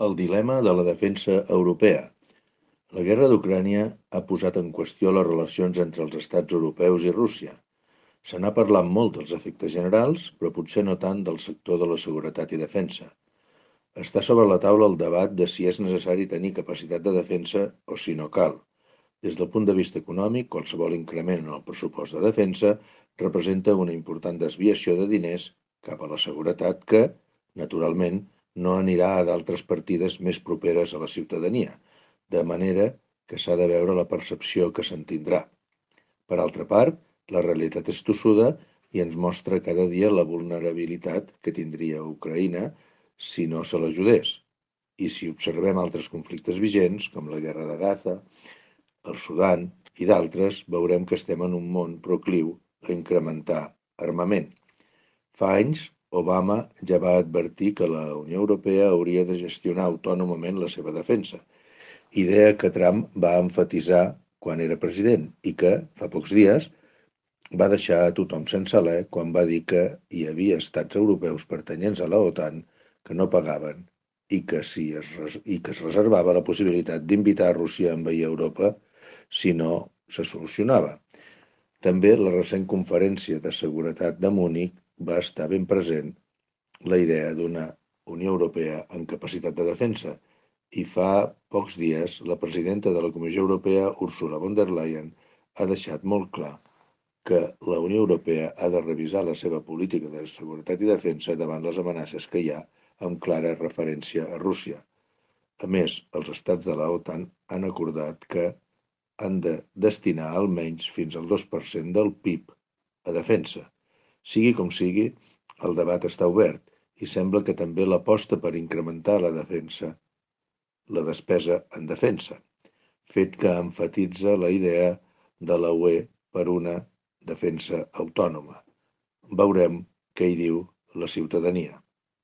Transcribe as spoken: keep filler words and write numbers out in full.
El dilema de la defensa europea. La guerra d'Ucrània ha posat en qüestió les relacions entre els estats europeus i Rússia. Se n'ha parlat molt dels efectes generals, però potser no tant del sector de la seguretat i defensa. Està sobre la taula el debat de si és necessari tenir capacitat de defensa o si no cal. Des del punt de vista econòmic, qualsevol increment en el pressupost de defensa representa una important desviació de diners cap a la seguretat que, naturalment, no anirà a d'altres partides més properes a la ciutadania, de manera que s'ha de veure la percepció que se'n tindrà. Per altra part, la realitat és tossuda i ens mostra cada dia la vulnerabilitat que tindria Ucraïna si no se l'ajudés. I si observem altres conflictes vigents, com la guerra de Gaza, el Sudan i d'altres, veurem que estem en un món procliu a incrementar armament. Fa anys, Obama ja va advertir que la Unió Europea hauria de gestionar autònomament la seva defensa, idea que Trump va emfatitzar quan era president i que, fa pocs dies, va deixar a tothom sense alè quan va dir que hi havia estats europeus pertanyents a la OTAN que no pagaven i que, si es, i que es reservava la possibilitat d'invitar a Rússia a envair Europa si no se solucionava. També la recent conferència de seguretat de Munic va estar ben present la idea d'una Unió Europea amb capacitat de defensa i fa pocs dies la presidenta de la Comissió Europea, Ursula von der Leyen, ha deixat molt clar que la Unió Europea ha de revisar la seva política de seguretat i defensa davant les amenaces que hi ha amb clara referència a Rússia. A més, els estats de la OTAN han acordat que han de destinar almenys fins al dos per cent del P I B a defensa. Sigui com sigui, el debat està obert i sembla que també l'aposta per incrementar la defensa, la despesa en defensa, fet que emfatitza la idea de la U E per una defensa autònoma. Veurem què hi diu la ciutadania.